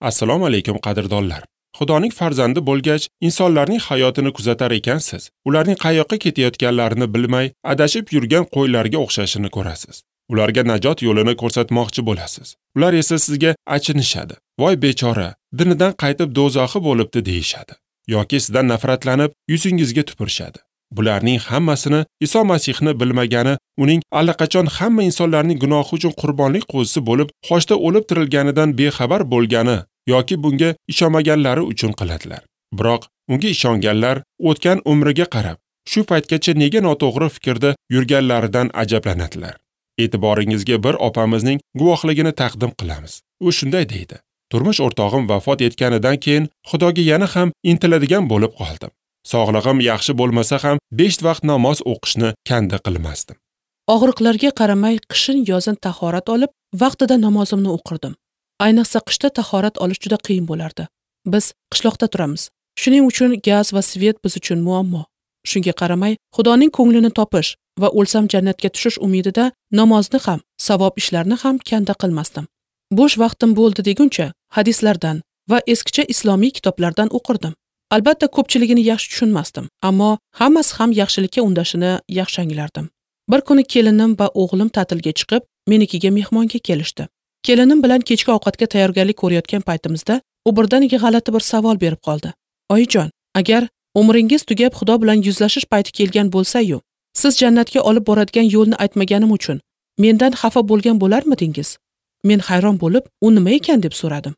Assalomu alaykum qadrdonlar. Xudoning farzandi bo'lgach, insonlarning hayotini kuzatar ekansiz, ularning qayoqqa ketayotganlarini bilmay, adashib yurgan qo'ylarga o'xshashini ko'rasiz. Ularga najot yo'lini ko'rsatmoqchi bo'lasiz. Ular esa sizga achinishadi. Voy bechora, dinidan qaytib do'zaxi bo'libdi deyishadi. Yoki sizdan nafratlanib, yuzingizga tupurishadi. Bularning hammasini Iso Masihni bilmagani, uning allaqachon hamma insonlarning gunohi uchun qurbonlik qo'zisi bo'lib, xochda o'lib tirilganidan bexabar bo'lgani yoki bunga ishonmaganlari uchun qiladilar. Biroq unga ishonganlar o'tgan umriga qarab, shu paytgacha nega noto'g'ri fikrda yurganlaridan ajablanadilar. E'tiboringizga bir opamizning guvohligini taqdim qilamiz. U shunday deydi: Turmush o'rtog'im vafot etganidan keyin Xudoga yana ham intiladigan bo'lib qoldim. Sog'lig'im yaxshi bo'lmasa ham 5 vaqt namoz o'qishni kanda qilmasdim. Og'riqlarga qaramay qishin yozin tahorat olib, vaqtida namozimni o'qirdim. Ayniqsa qishda tahorat olish juda qiyin bo'lardi. Biz qishloqda turamiz. Shuning uchun gaz va svet biz uchun muammo. Shunga qaramay, Xudoning ko'nglini topish va o'lsam jannatga tushish umidida namozni ham, savob ishlarni ham kanda qilmasdim. Bo'sh vaqtim bo'ldi deguncha hadislardan va eskicha islomiy kitoblardan o'qirdim. Albatta ko'pchiligini yaxshi tushunmasdim, ammo hammasi ham yaxshilikka undashini yaxshi anglardim. Bir kuni kelinim va o'g'lim ta'tilga chiqib, menikiga mehmonga kelishdi. Kelinim bilan kechki ovqatga tayyorgarlik ko'rayotgan paytimizda u birdaniga g'alati bir savol berib qoldi. Oyijon, agar umringiz tugab Xudo bilan yuzlashish payti kelgan bo'lsa-yu, siz jannatga olib boradigan yo'lni aytmaganim uchun mendan xafa bo'lgan bo'larmidingiz? Men hayron bo'lib, u nima ekan deb so'radim.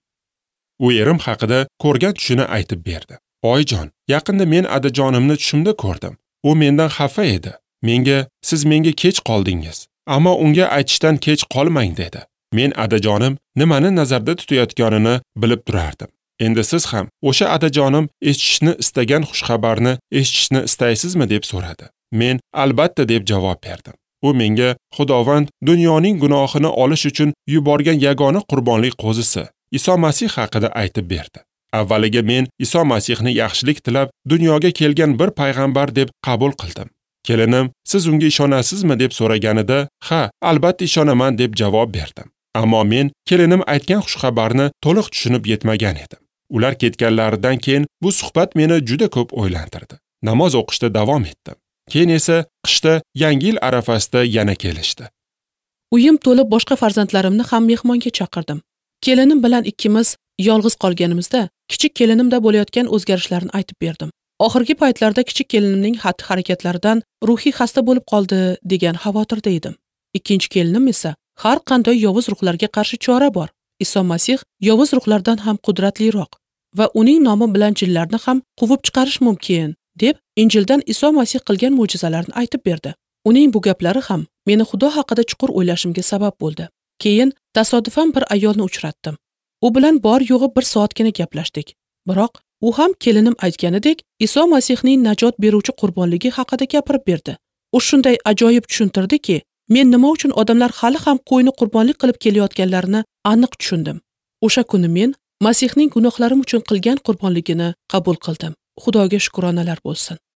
U erim haqida ko'rgan tushini aytib berdi. Oyijon, yaqinda men adajonimni tushimda ko'rdim. U mendan xafa edi. Menga, siz menga kech qoldingiz, ammo unga aytishdan kech qolmang dedi. Men adajonim nimani nazarda tutayotganini bilib turardim. Endi siz ham o'sha adajonim eshitishni istagan xushxabarni eshitishni istaysizmi deb so'radi. Men albatta deb javob berdim. U menga Xudovand dunyoning gunohini olish uchun yuborgan yagona qurbonlik qo'zisi Iso Masih haqida aytib berdi. Avvaliga men Iso Masihni yaxshilik tilab dunyoga kelgan bir payg'ambar deb qabul qildim. Kelinim, siz unga ishonasizmi deb so'raganida, ha, albatta ishonaman deb javob berdim. Ammo men kelinim aytgan xushxabarni to'liq tushunib yetmagan edim. Ular ketganlaridan keyin bu suhbat meni juda ko'p o'ylantirdi. Namoz o'qishda davom etdim. Keyin esa qishda Yangi yil arafasida yana kelishdi. Uyim to'lib boshqa farzandlarimni ham mehmonga chaqirdim. Kelinim bilan ikkimiz yolg'iz qolganimizda kichik kelinimda bo'layotgan o'zgarishlarni aytib berdim. Oxirgi paytlarda kichik kelinimning xatti-harakatlaridan ruhiy xasta bo'lib qoldi degan xavotirda edim. Ikkinchi kelinim esa har qanday yovuz ruhlarga qarshi chora bor. Iso Masih yovuz ruhlardan ham qudratliroq va uning nomi bilan jinlarni ham quvib chiqarish mumkin deb Injildan Iso Masih qilgan mo'jizalarni aytib berdi. Uning bu gaplari ham meni Xudo haqida chuqur o'ylashimga sabab bo'ldi. Keyin tasodifan bir ayolni uchratdim. U bilan bor yo'g'i bir soatgina gaplashdik. Biroq u ham kelinim aytganidek Iso Masihning najot beruvchi qurbonligi haqida gapirib berdi. U shunday ajoyib tushuntirdiki, men nima uchun odamlar hali ham qo'yni qurbonlik qilib kelayotganlarini aniq tushundim. O'sha kuni men Masihning gunohlarim uchun qilgan qurbonligini qabul qildim. Xudoga shukronalar bo'lsin.